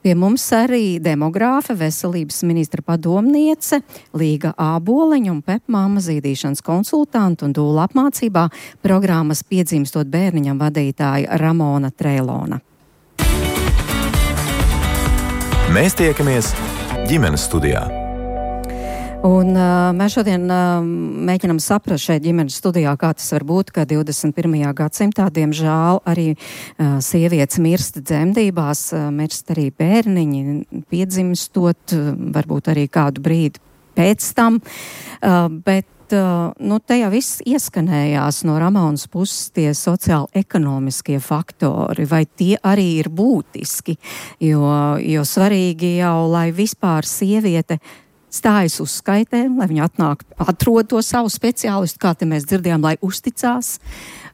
Pie mums arī demogrāfe, veselības ministra padomniece Līga Āboliņa un pepmāma zīdīšanas konsultanta un dūla apmācībā programmas Piedzimstot bērniņam vadītāja Ramona Treilona. Mēs tiekamies ģimenes studijā. Un mēs šodien mēģinām saprast šeit ģimenes studijā, kā tas var būt, ka 21. gadsimtā, diemžēl, arī sievietes mirst dzemdībās, mirst arī bērniņi, piedzimstot, varbūt arī kādu brīdi pēc tam, bet te jau viss ieskanējās no Ramonas puses tie sociāli-ekonomiskie faktori, vai tie arī ir būtiski, jo svarīgi jau, lai vispār sieviete stājas uzskaitē, lai viņa atrod to savu speciālistu, kā te mēs dzirdējām, lai uzticās,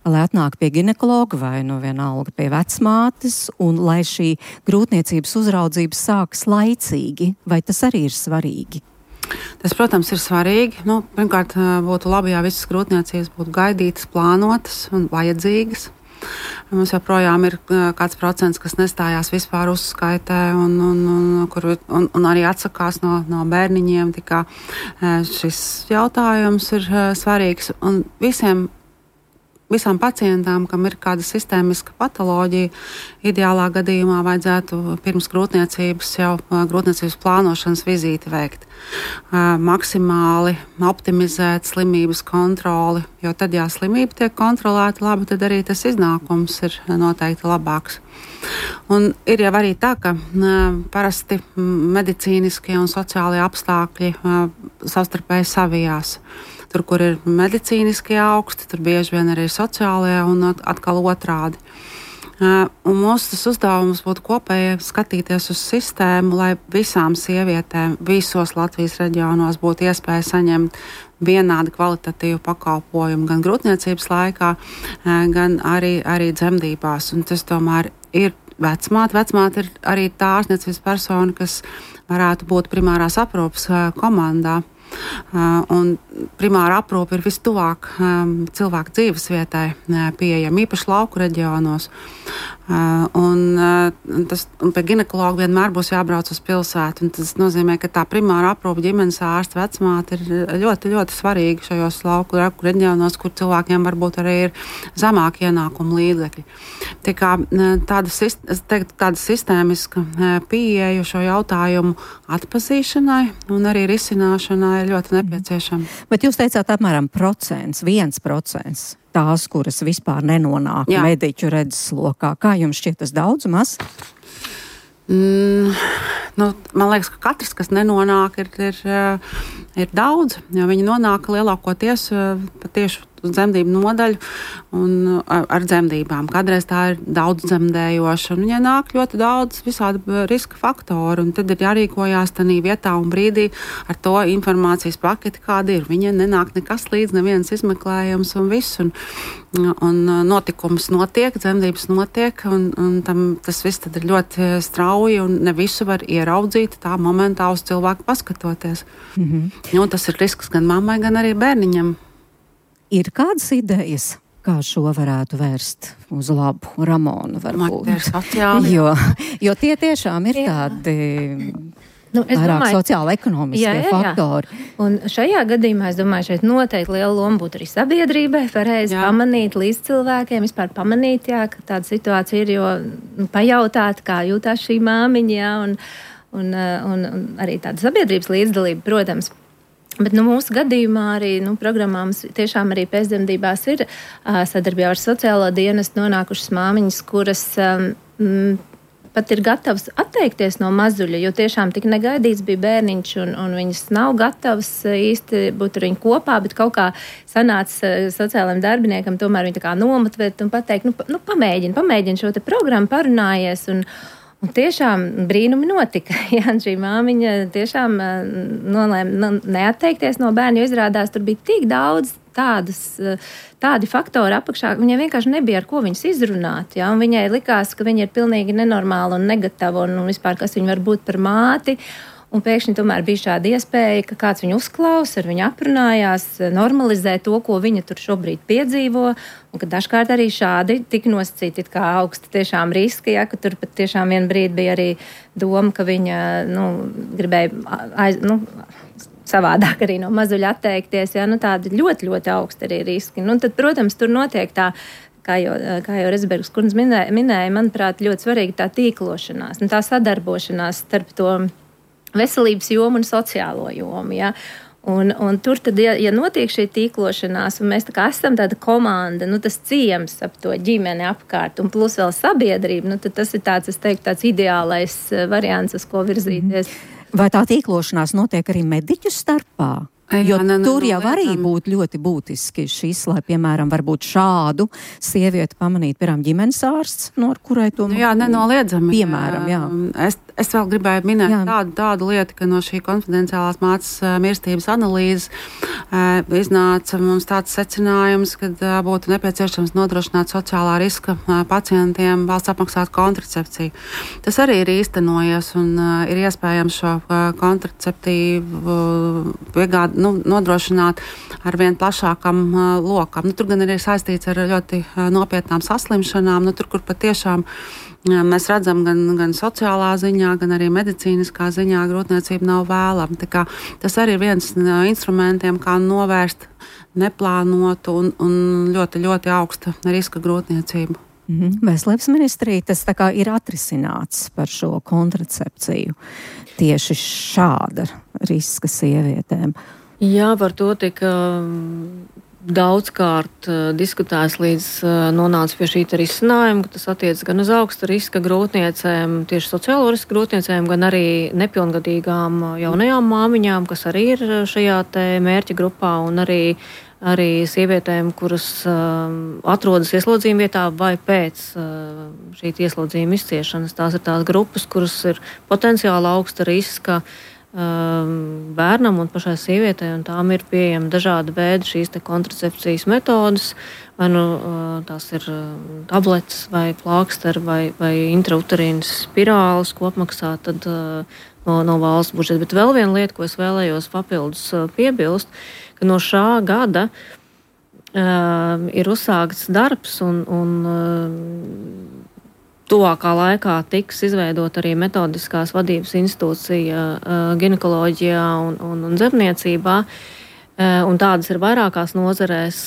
lai atnāk pie ginekologa vai vienalga pie vecmātes, un lai šī grūtniecības uzraudzība sākas laicīgi, vai tas arī ir svarīgi? Tas, protams, ir svarīgi. Pirmkārt, būtu labi, ja visas grūtniecības būtu gaidītas, plānotas un vajadzīgas. Mums joprojām ir kāds procents, kas nestājās vispār uzskaitē un arī atsakās no bērniņiem. Tikā šis jautājums ir svarīgs. Un visām pacientām, kam ir kāda sistēmiska patoloģija, ideālā gadījumā vajadzētu pirms grūtniecības jau grūtniecības plānošanas vizīti veikt. Maksimāli optimizēt slimības kontroli, jo tad, ja slimība tiek kontrolēta labi, tad arī tas iznākums ir noteikti labāks. Un ir jau arī tā, ka parasti medicīniskie un sociālie apstākļi savstarpēji savijās. tur, kur ir medicīniskie augsti, tur bieži vien arī sociālajie un atkal otrādi. Un mūsu uzdevums būtu kopēji skatīties uz sistēmu, lai visām sievietēm visos Latvijas reģionos būtu iespēja saņemt vienādi kvalitatīvu pakalpojumu gan grūtniecības laikā, gan arī dzemdībās. Un tas tomēr ir vecmāte. Vecmāte ir arī tā ārstniecības persona, kas varētu būt primārās aprūpes komandā. Un primāra aprūpe ir vistuvāk cilvēku dzīves vietai pieejama, īpaši lauku reģionos. Un pie ginekologa vienmēr būs jābrauc uz pilsētu. Tas nozīmē, ka tā primāra aprūpe ģimenes ārsta vecmāte ir ļoti, ļoti svarīga šajos lauku reģionos, kur cilvēkiem varbūt arī ir zemāki ienākumu līdzekļi. Tā kā tāda sistēmiska pieeja šo jautājumu atpazīšanai un arī risināšanai ir ļoti nepieciešama. Bet jūs teicāt apmēram 1% tās, kuras vispār nenonāk mediķu redzeslokā. Kā jums šķiet tas daudz, maz? Man liekas, ka katrs, kas nenonāk, ir daudz, jo viņi nonāk lielākoties tieši uz dzemdību nodaļu un ar dzemdībām. Kādreiz tā ir daudz dzemdējoša, un viņai nāk ļoti daudz visādi riska faktoru, un tad ir jārīkojās tanī vietā un brīdī ar to informācijas paketi, kāda ir. Viņai nenāk nekas līdz, neviens izmeklējums un viss, un notikums notiek, dzemdības notiek, un tas viss tad ir ļoti strauji, un ne visu var ieraudzīt tā momentā uz cilvēku paskatoties. Un tas ir risks gan mammai, gan arī bērniņam. Ir kādas idejas, kā šo varētu vērst uz labu? Ramona varbūt. Jo tie tiešām ir tādi vairāk sociāla-ekonomiskie faktori. Un šajā gadījumā, es domāju, šeit noteikti liela loma būtu arī sabiedrībai, pareizi pamanīt līdz cilvēkiem, vispār pamanīt, ka tāda situācija ir, jo pajautāt, kā jūtās šī māmiņa, un arī tāda sabiedrības līdzdalība, protams. Bet mūsu gadījumā arī programmā mums tiešām arī pēcdzemdībās ir sadarbībā ar sociālo dienestu nonākušas māmiņas, kuras pat ir gatavas atteikties no mazuļa, jo tiešām tik negaidīts bija bērniņš, un viņas nav gatavas īsti būt ar viņu kopā, bet kaut kā sanāca sociālajiem darbiniekam tomēr viņu tā kā nomotivēt un pateikt, pamēģini šo te programmu, parunājies, un tiešām brīnumi notika. Šī māmiņa tiešām nolēma neatteikties no bērna, jo izrādās tur bija tik daudz tādi faktori apakšā, viņai vienkārši nebija ar ko viņas izrunāt. Ja? Un viņai likās, ka viņa ir pilnīgi nenormāla un negatava un vispār, kas viņa var būt par māti. Un pēkšņi tomēr bija šāda iespēja, ka kāds viņu uzklausa, ar viņu aprunājās, normalizē to, ko viņa tur šobrīd piedzīvo, un ka dažkārt arī šādi tika nosacīti kā augsti tiešām riski, ka tur pat tiešām vien brīdi bija arī doma, ka viņa gribēja savādāk arī no mazuļa atteikties, tādi ļoti, ļoti augsti arī riski. Tad, protams, tur notiek tā, kā jau Rezbergas kundze minēja, manuprāt, ļoti svarīga tā tīklošanās, tā sadarbošanās starp to veselības jomu un sociālo jomu. Ja? Un tur tad, ja notiek šī tīklošanās, un mēs tā kā esam tāda komanda, tas ciems ap to ģimeni apkārt, un plus vēl sabiedrība, tad tas ir tāds, es teiktu, tāds ideālais variants, uz ko virzīties. Vai tā tīklošanās notiek arī mediķu starpā? Jo tur jau arī būtu ļoti būtiski šis, lai, piemēram, varbūt šādu sievieti pamanīt, piemēram, ģimenes ārsts, no kurai to nenoliedzami. Piemēram, jā. Es vēl gribēju minēt tādu lietu, ka no šī konfidenciālās mātes mirstības analīzes iznāca mums tāds secinājums, ka būtu nepieciešams nodrošināt sociālā riska pacientiem valsts apmaksāt kontracepciju. Tas arī ir īstenojies un ir iespējams šo kontraceptīvu piegādi nodrošināt ar vien plašākam lokam. Tur gan ir saistīts ar ļoti nopietnām saslimšanām, tur, kur patiešām mēs redzam gan sociālā ziņā, gan arī medicīniskā ziņā grūtniecība nav vēlama. Tā kā tas arī ir viens no instrumentiem, kā novērst neplānotu un ļoti, ļoti augsta riska grūtniecību. Veselības ministrija tas tā kā ir atrisināts par šo kontracepciju tieši šāda riska sievietēm. Jā, par to tika daudzkārt diskutēts līdz nonāca pie šī risinājuma, ka tas attiec gan uz augsta riska grūtniecēm, tieši sociālo riska grūtniecēm, gan arī nepilngadīgām jaunajām māmiņām, kas arī ir šajā te mērķa grupā, un arī sievietēm, kuras atrodas ieslodzījumu vietā vai pēc šī ieslodzījuma izciešanas. Tās ir tās grupas, kuras ir potenciāli augsta riska bērnam un pašai sievietei, un tām ir pieejami dažādi veidi šīs te kontracepcijas metodas, vai nu tās ir tabletes vai plāksteri vai intrauterīnas spirāles, ko apmaksā tad no valsts budžeta. Bet vēl viena lieta, ko es vēlējos papildus piebilst, ka no šā gada ir uzsākts darbs un tuvākā laikā tiks izveidot arī metodiskās vadības institūcija ginekoloģijā un dzemniecībā. Un tādas ir vairākās nozarēs,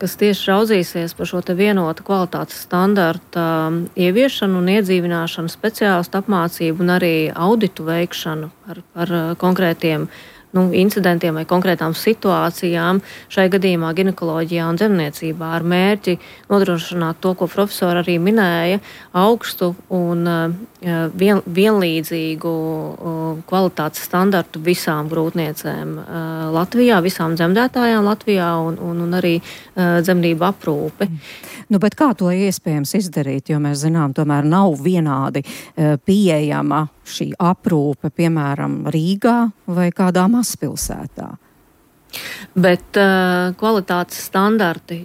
kas tieši raudzīsies par šo te vienotu kvalitātes standarta ieviešanu un iedzīvināšanu, speciālistu apmācību un arī auditu veikšanu par konkrētiem incidentiem vai konkrētām situācijām, šai gadījumā ginekoloģijā un dzemniecībā, ar mērķi nodrošināt to, ko profesori arī minēja, augstu un vienlīdzīgu kvalitātes standartu visām grūtniecēm Latvijā, visām dzemdētājām Latvijā un arī dzemdību aprūpi. Bet kā to iespējams izdarīt, jo mēs zinām, tomēr nav vienādi pieejama šī aprūpe, piemēram, Rīgā vai kādā mazpilsētā? Bet kvalitātes standarti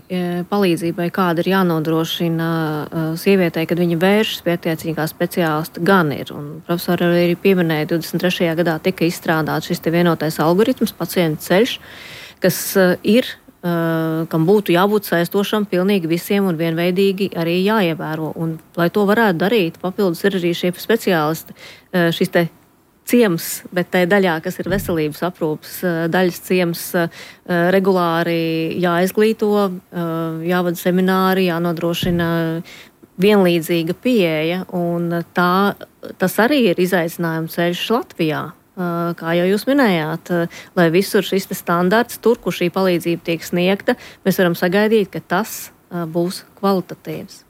palīdzībai, kāda ir jānodrošina sievietei, kad viņa vēršas pie attiecīgā speciālista, gan ir. Un profesori arī pieminēja, 23. gadā tika izstrādāts šis te vienotais algoritms, pacienta ceļš, kas kam būtu jābūt saistošam pilnīgi visiem un vienveidīgi arī jāievēro. Un, lai to varētu darīt, papildus ir arī šie speciālisti, šis te ciems, bet tai daļā, kas ir veselības aprūpas daļas ciems, regulāri jāizglīto, jāvada semināri, jānodrošina vienlīdzīga pieeja, un tas arī ir izaicinājuma ceļš Latvijā. Kā jau jūs minējāt, lai visur šis standarts, tur, kur šī palīdzība tiek sniegta, mēs varam sagaidīt, ka tas būs kvalitatīvs.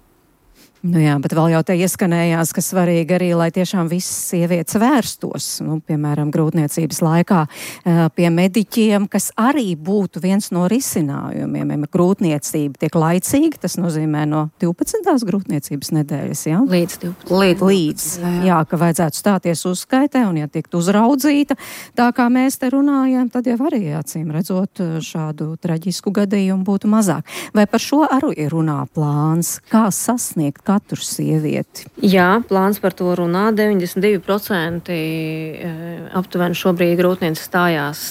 Jā, bet vēl jau te ieskanējās, ka svarīgi arī, lai tiešām visas sievietes vērstos, piemēram, grūtniecības laikā pie mediķiem, kas arī būtu viens no risinājumiem. Grūtniecība tiek laicīga, tas nozīmē no 12. grūtniecības nedēļas, jā? Līdz 12. Līdz, jā, ka vajadzētu stāties uzskaitē un, ja tikt uzraudzīta, tā kā mēs te runājam, tad jau arī, acīm redzot, šādu traģisku gadījumu būtu mazāk. Vai par šo arī runā plāns? Kā sasniegt katru sievieti? Jā, plāns par to runā. 92% aptuveni šobrīd grūtniece stājās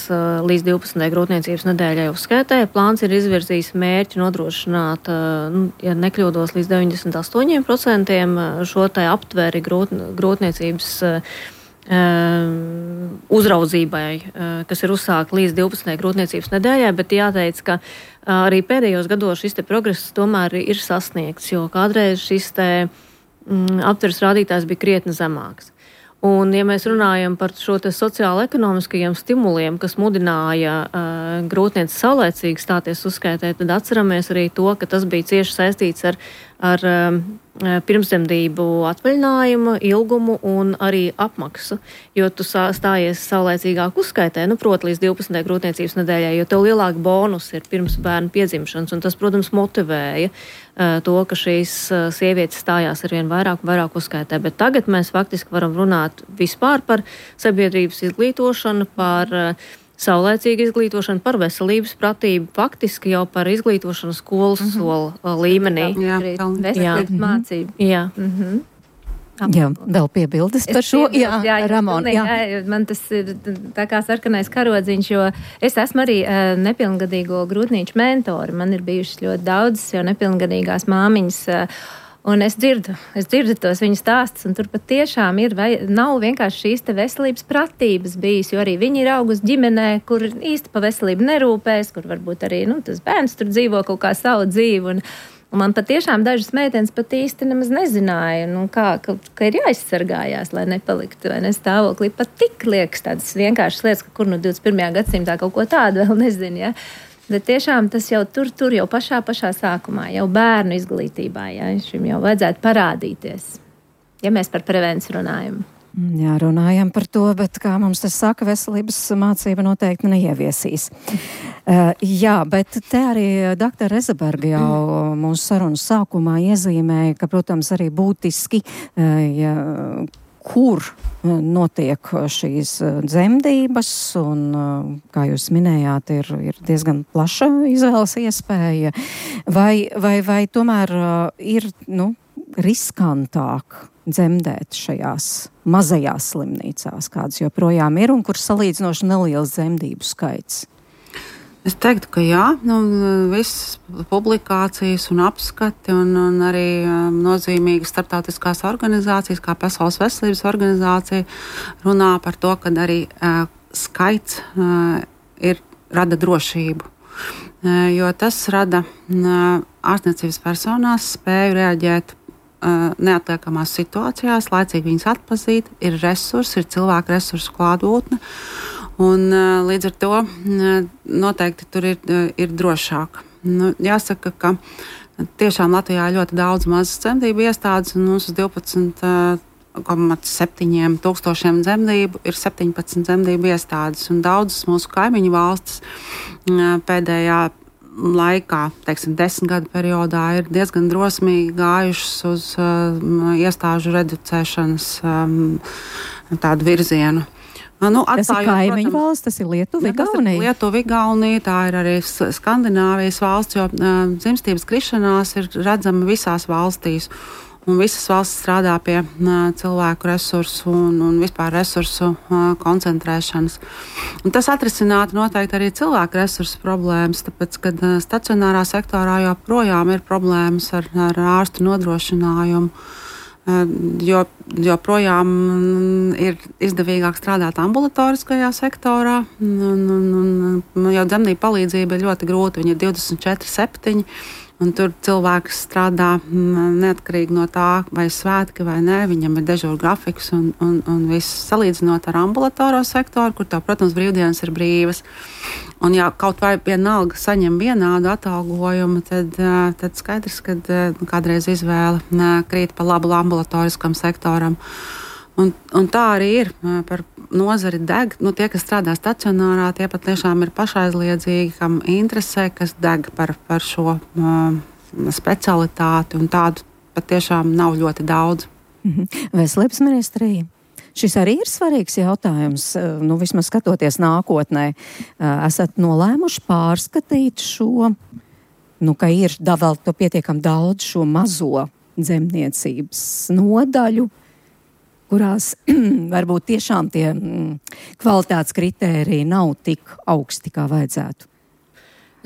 līdz 12. grūtniecības nedēļai uzskaitē. Plāns ir izvirzījis mērķi nodrošināt, ja nekļūdos, līdz 98% šo tai aptveri grūtniecības uzraudzībai, kas ir uzsākta līdz 12. grūtniecības nedēļai, bet jāteic, ka arī pēdējos gados šis te progress tomēr ir sasniegts, jo kādreiz šis te aptveres rādītājs bija krietni zemāks. Un, ja mēs runājam par šo te sociālo-ekonomiskajiem stimuliem, kas mudināja grūtnieci saulēcīgi stāties uzskaitē, tad atceramies arī to, ka tas bija cieši saistīts ar pirmsdzemdību atvaļinājumu, ilgumu un arī apmaksu, jo tu stājies saulēcīgāk uzskaitē, proti līdz 12. grūtniecības nedēļai, jo tev lielāka bonus ir pirms bērna piedzimšanas, un tas, protams, motivēja to, ka šīs sievietes stājās arvien vairāk un vairāk uzskaitē. Bet tagad mēs faktiski varam runāt vispār par sabiedrības izglītošanu, par saulēcīgu izglītošanu, par veselības pratību, faktiski jau par izglītošanu skolas sola līmenī. Veselības mācību. Jā. Jā, vēl piebildes par šo. Jā, Ramona. Jā, man tas ir tā kā sarkanais karodziņš, jo es esmu arī nepilngadīgo grūtnieču mentori. Man ir bijušas ļoti daudzas jau nepilngadīgās māmiņas. Un es dzirdu tos viņu stāstus, un tur pat tiešām nav vienkārši šīs te veselības pratības bijis, jo arī viņi ir augusi ģimenē, kur īsti pa veselību nerūpēs, kur varbūt arī tas bērns tur dzīvo kaut kā savu dzīvi. Un man patiešām dažas meitenes pat īsti nemaz nezināja, ka ir jāizsargājās, lai nepaliktu vai nestāvoklī. Pat tik liekas tādas vienkāršas lietas, ka kur 21. gadsimtā kaut ko tādu vēl nezinu, ja. Bet tiešām tas jau tur jau pašā sākumā, jau bērnu izglītībā, ja, šim jau vajadzētu parādīties, ja mēs par prevenciju runājam. Jā, runājam par to, bet kā mums tas saka, veselības mācība noteikti neieviesīs. Jā, bet te arī dr. Rezeberga jau mūsu sarunas sākumā iezīmēja, ka, protams, arī būtiski, kur notiek šīs dzemdības, un, kā jūs minējāt, ir diezgan plaša izvēles iespēja, vai tomēr ir, riskantāk dzemdēt šajās mazajās slimnīcās, kādas joprojām ir un kur salīdzinoši neliels dzemdību skaits? Es teiktu, ka jā, visas publikācijas un apskati un arī nozīmīgas starptautiskās organizācijas, kā Pasaules veselības organizācija, runā par to, ka arī skaits rada drošību. Jo tas rada ārstniecības personās spēju reaģēt neatliekamās situācijās, laicīgi viņas atpazīt, ir resursi, ir cilvēku resursu klātbūtne, un līdz ar to noteikti tur ir drošāk. Jāsaka, ka tiešām Latvijā ir ļoti daudz mazas dzemdību iestādes, un mums uz 12,7 tūkstošiem dzemdību ir 17 dzemdību iestādes, un daudzas mūsu kaimiņu valstis pēdējā laikā, 10 gadu periodā, ir diezgan drosmīgi gājušas uz iestāžu reducēšanas tādu virzienu. Tas ir kaimiņu valsts, tas ir Lietuva, Igaunija? Lietuva, Igaunija, tā ir arī Skandināvijas valsts, jo dzimstības krišanās ir redzama visās valstīs. Un visas valsts strādā pie cilvēku resursu un vispār resursu koncentrēšanas. Un tas atrisinātu noteikti arī cilvēku resursu problēmas, tāpēc, kad stacionārā sektorā joprojām ir problēmas ar ārstu nodrošinājumu, jo projām ir izdevīgāk strādāt ambulatoriskajā sektorā, un jau dzemdību palīdzība ir ļoti grūta, viņa ir 24/7. Un tur cilvēks strādā neatkarīgi no tā, vai svētki vai nē, viņam ir dežūra grafiks un viss salīdzinot ar ambulatoro sektoru, kur tā, protams, brīvdienas ir brīvas. Un ja kaut vai vienalga saņem vienādu atalgojumu, tad skaidrs, ka kādreiz izvēle krīt pa labu ambulatoriskam sektoram. Un tā arī ir par nozari deg. Tie, kas strādā stacionārā, tie pat tiešām ir pašaizliedzīgi, kam interesē, kas deg par šo specialitāti, un tādu pat tiešām nav ļoti daudz. Veselības ministrija. Šis arī ir svarīgs jautājums, vismaz skatoties nākotnē. Esat nolēmuši pārskatīt šo, ka ir vēl to pietiekam daudz šo mazo dzemdniecības nodaļu, kurās varbūt tiešām tie kvalitātes kritēriji nav tik augsti, kā vajadzētu?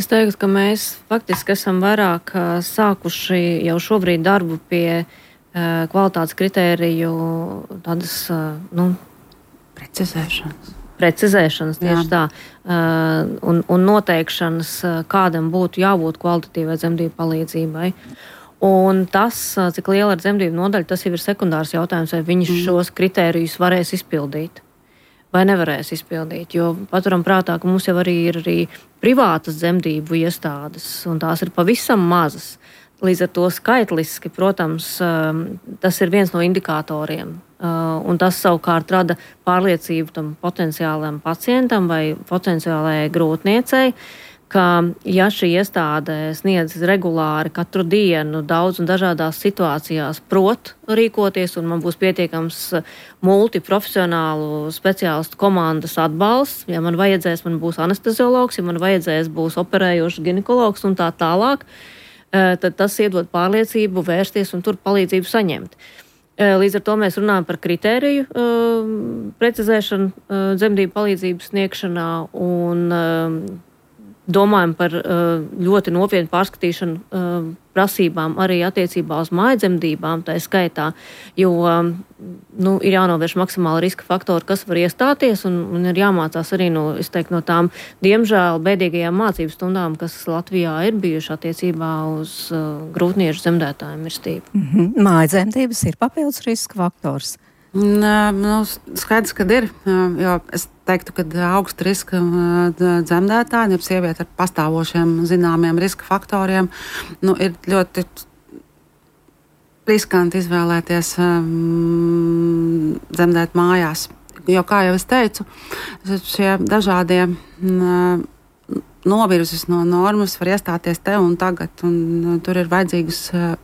Es teiktu, ka mēs faktiski esam vairāk sākuši jau šobrīd darbu pie kvalitātes kritēriju tādas, precizēšanas tieši tā, un noteikšanas, kādam būtu jābūt kvalitatīvai dzemdību palīdzībai. Un tas, cik liela ir dzemdību nodaļa, tas jau ir sekundārs jautājums, vai viņi šos kritērijus varēs izpildīt vai nevarēs izpildīt. Jo paturam prātā, ka mums jau arī ir privātas dzemdību iestādes, un tās ir pavisam mazas. Līdz ar to skaitliski, protams, tas ir viens no indikatoriem. Un tas savukārt rada pārliecību tam potenciālajam pacientam vai potenciālajai grūtniecei, ka ja šī iestāde sniedz regulāri katru dienu daudz un dažādās situācijās prot rīkoties, un man būs pietiekams multiprofesionālu speciālistu komandas atbalsts, ja man vajadzēs, man būs anesteziologs, ja man vajadzēs, būs operējošs ginekologs un tā tālāk, tad tas iedod pārliecību vērsties un tur palīdzību saņemt. Līdz ar to mēs runājam par kritēriju precizēšanu dzemdību palīdzības sniegšanā un domājam par ļoti nopietnu pārskatīšanu prasībām arī attiecībā uz mājdzemdībām, tā skaitā, jo ir jānovērš maksimāli riska faktori, kas var iestāties, un ir jāmācās arī no tām, diemžēl, bēdīgajām mācību stundām, kas Latvijā ir bijuši attiecībā uz grūtniešu dzemdētāju mirstību. Mājdzemdības ir papildus riska faktors. Skaidrs, ka ir, jo es teiktu, ka augsta riska dzemdētāji, jeb sieviete ar pastāvošiem zināmiem riska faktoriem, ir ļoti riskanti izvēlēties dzemdēt mājās. Jo, kā jau es teicu, šie dažādie novirzes no normas var iestāties te un tagad, un tur ir vajadzīgas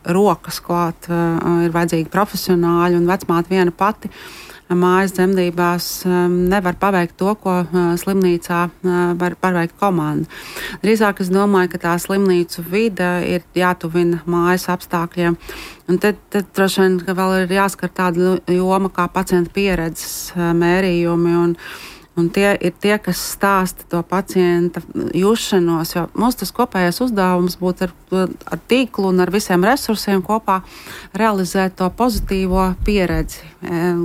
rokas klāt, ir vajadzīgi profesionāļi, un vecmāte viena pati mājas dzemdībās nevar paveikt to, ko slimnīcā var paveikt komanda. Drīzāk es domāju, ka tā slimnīcu vide ir jātuvina mājas apstākļiem, un tad droši vien vēl ir jāskar tāda joma kā pacienta pieredzes mērījumi, un tie ir tie, kas stāsta to pacienta jušanos, jo mums tas kopējais uzdevums būtu ar tīklu un ar visiem resursiem kopā realizēt to pozitīvo pieredzi,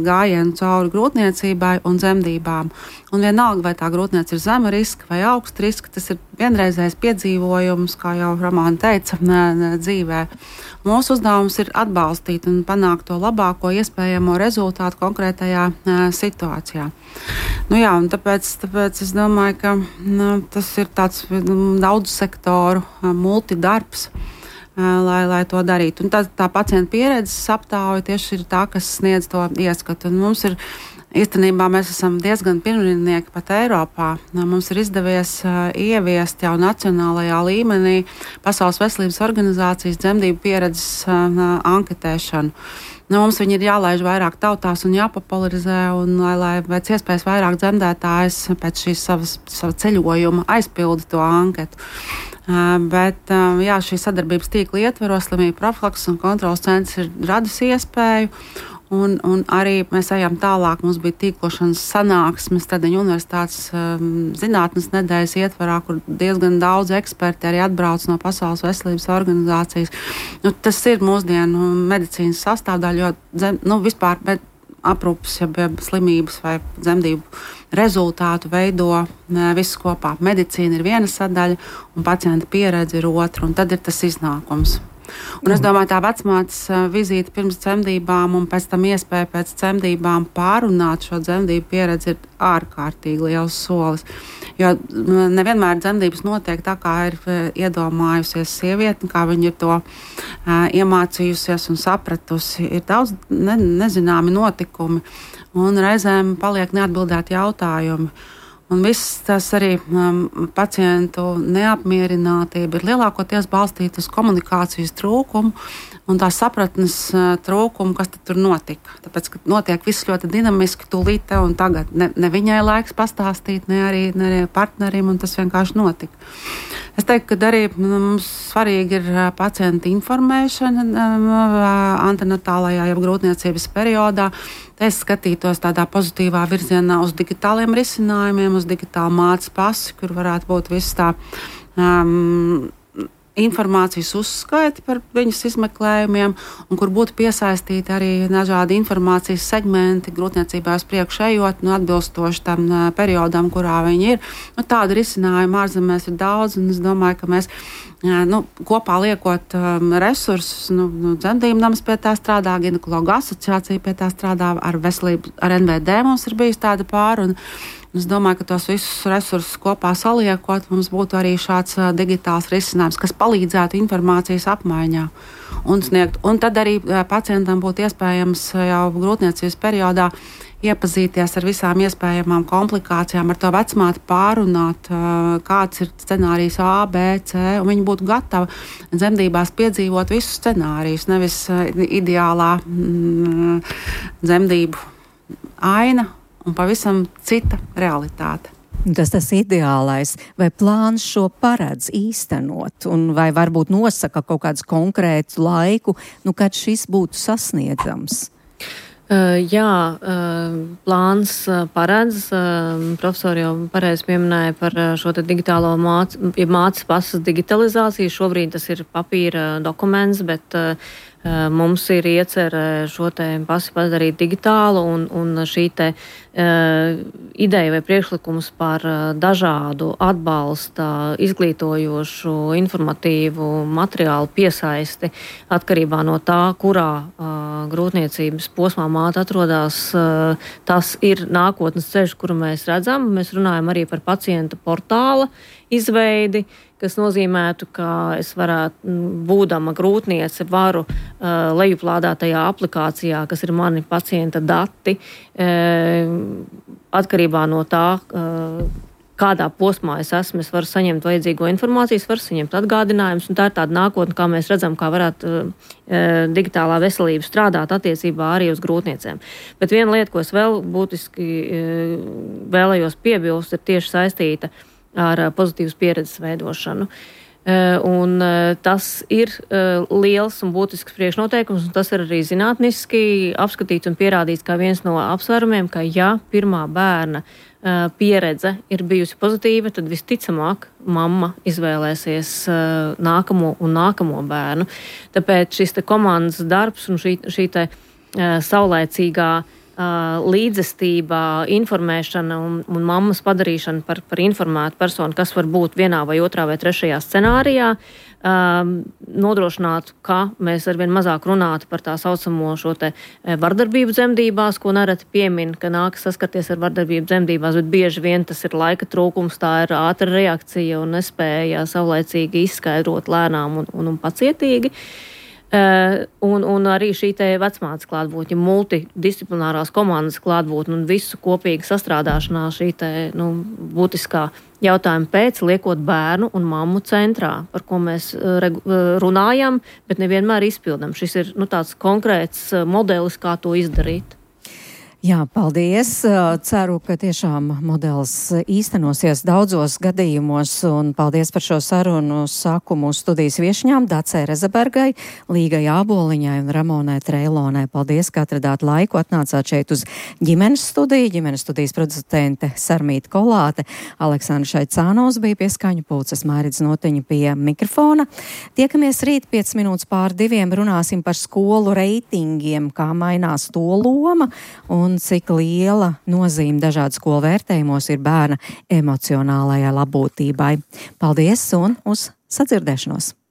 gājienu cauri grūtniecībai un dzemdībām. Un vienalga, vai tā grūtniece ir zema riska vai augsta riska, tas ir vienreizējs piedzīvojums, kā jau Romāna teica, dzīvē. Mūsu uzdevums ir atbalstīt un panākt to labāko iespējamo rezultātu konkrētajā situācijā. Un tāpēc es domāju, ka tas ir tāds daudz sektoru multidarbs, lai to darītu. Un tā pacienta pieredzes aptauja tieši ir tā, kas sniedz to ieskatu. Un mums ir īstenībā mēs esam diezgan pirmrindnieki pat Eiropā. Mums ir izdevies ieviest jau nacionālajā līmenī Pasaules veselības organizācijas dzemdību pieredzes anketēšanu. Mums viņi ir jālaiž vairāk tautās un jāpopularizē, un lai pēc iespējas vairāk dzemdētājs pēc šīs sava ceļojuma aizpilda to anketu. Bet šī sadarbības tīkla ietveros slimību profilakses un kontrolas centrs ir radis iespēju. Un arī mēs ejam tālāk. Mums bija tīklošanas sanāksmes Stradiņu universitātes zinātnes nedēļas ietvarā, kur diezgan daudz eksperti arī atbrauc no Pasaules veselības organizācijas. Tas ir mūsdienu medicīnas sastāvdaļa, jo vispār aprūpes, slimības vai dzemdību rezultātu veido viss kopā. Medicīna ir viena sadaļa un pacienta pieredze ir otra, un tad ir tas iznākums. Un es domāju, tā vecmātes vizīte pirms dzemdībām un pēc tam iespēja pēc dzemdībām pārunāt šo dzemdību pieredzi ir ārkārtīgi liels solis. Jo nevienmēr dzemdības notiek tā, kā ir iedomājusies sieviete, kā viņa ir to iemācījusies un sapratusi. Ir daudz nezināmi notikumi un reizēm paliek neatbildēti jautājumi. Un viss tas arī pacientu neapmierinātība ir lielākoties balstīta uz komunikācijas trūkumu un tā sapratnes trūkumu, kas tur notika. Tāpēc, ka notiek viss ļoti dinamiski, tūlīt te un tagad. Ne viņai laiks pastāstīt, ne arī partnerim, un tas vienkārši notika. Es teiktu, ka arī mums svarīgi ir pacienta informēšana antenatālajā, jeb grūtniecības periodā. Es skatītos tādā pozitīvā virzienā uz digitāliem risinājumiem, uz digitālu mātes pasi, kur varētu būt viss tā informācijas uzskaiti par viņas izmeklējumiem, un kur būtu piesaistīti arī dažādi informācijas segmenti grūtniecībā uz priekšu ejot, atbilstoši tam periodam, kurā viņi ir. Tādu risinājumu ārzemēs ir daudz, un es domāju, ka mēs kopā liekot resursus, dzemdību nams pie tā strādā, ginekologu asociācija pie tā strādā, ar veselību, ar NVD mums ir bijis tāda pāri, un es domāju, ka tos visus resursus kopā saliekot, mums būtu arī šāds digitāls risinājums, kas palīdzētu informācijas apmaiņā un sniegt. Un tad arī pacientam būtu iespējams jau grūtniecības periodā iepazīties ar visām iespējamām komplikācijām, ar to vecmāti pārunāt, kāds ir scenārijs A, B, C, un viņi būtu gatavi dzemdībās piedzīvot visus scenārijus, nevis ideālā dzemdību aina un pavisam cita realitāte. Tas ideālais, vai plāns šo paredz īstenot, un vai varbūt nosaka kaut kādu konkrētu laiku, kad šis būtu sasniedzams? Jā, plāns paredz. Profesori jau pareizi pieminēja par šo digitālo mātes pasas digitalizāciju. Šobrīd tas ir papīra dokuments, bet Mums ir iecerē šo te pasi padarīt digitālu un šī te ideja vai priekšlikums par dažādu atbalsta, izglītojošu, informatīvu materiālu piesaisti atkarībā no tā, kurā grūtniecības posmā māte atrodas. Tas ir nākotnes ceļš, kuru mēs redzam. Mēs runājam arī par pacienta portāla izveidi, kas nozīmētu, ka es varētu, būdama grūtniece, varu lejuplādātajā aplikācijā, kas ir mani pacienta dati, atkarībā no tā, kādā posmā es esmu, es varu saņemt vajadzīgo informāciju, varu saņemt atgādinājumus, un tā ir tāda nākotne, kā mēs redzam, kā varētu digitālā veselība strādāt attiecībā arī uz grūtniecēm. Bet viena lieta, ko es vēl būtiski vēlējos piebilst, ir tieši saistīta ar pozitīvas pieredzes veidošanu. Un tas ir liels un būtisks priekšnoteikums, un tas ir arī zinātniski apskatīts un pierādīts kā viens no apsvērumiem, ka ja pirmā bērna pieredze ir bijusi pozitīva, tad visticamāk mamma izvēlēsies nākamo un nākamo bērnu. Tāpēc šis te komandas darbs un šī te saulēcīgā līdzestība, informēšana un mammas padarīšana par informētu personu, kas var būt vienā vai otrā vai trešajā scenārijā, nodrošinātu, ka mēs arvien mazāk runātu par tā saucamo šo te vardarbību dzemdībās, ko nereti piemin, ka nākas saskarties ar vardarbību dzemdībās, bet bieži vien tas ir laika trūkums, tā ir ātra reakcija un nespēja saulaicīgi izskaidrot lēnām un pacietīgi. Un arī šī te vecmātes klātbūtne, multidisciplinārās komandas klātbūtne un visu kopīgi sastrādāšanā šī te, būtiskā jautājuma pēc, liekot bērnu un mammu centrā, par ko mēs runājam, bet nevienmēr izpildam. Šis ir tāds konkrēts modelis, kā to izdarīt. Jā, paldies. Ceru, ka tiešām modelis īstenosies daudzos gadījumos, un paldies par šo sarunu. Saku mūsu studijas viešņām Dacei Rezebergai, Līgai Āboliņai un Ramonai Treilonai. Paldies, ka atradāt laiku, atnācāt šeit uz ģimenes studiju. Ģimenes studijas producente Sarmīta Kolāte, Aleksandra Šaicānos bija pie skaņu pulces, Mairidz Noteņa pie mikrofona. Tiekamies rīt 5 minūtes pār 2, runāsim par skolu reitingiem, kā mainās to loma un cik liela nozīme dažādu skolu vērtējumos ir bērna emocionālajai labklājībai. Paldies un uz sadzirdēšanos!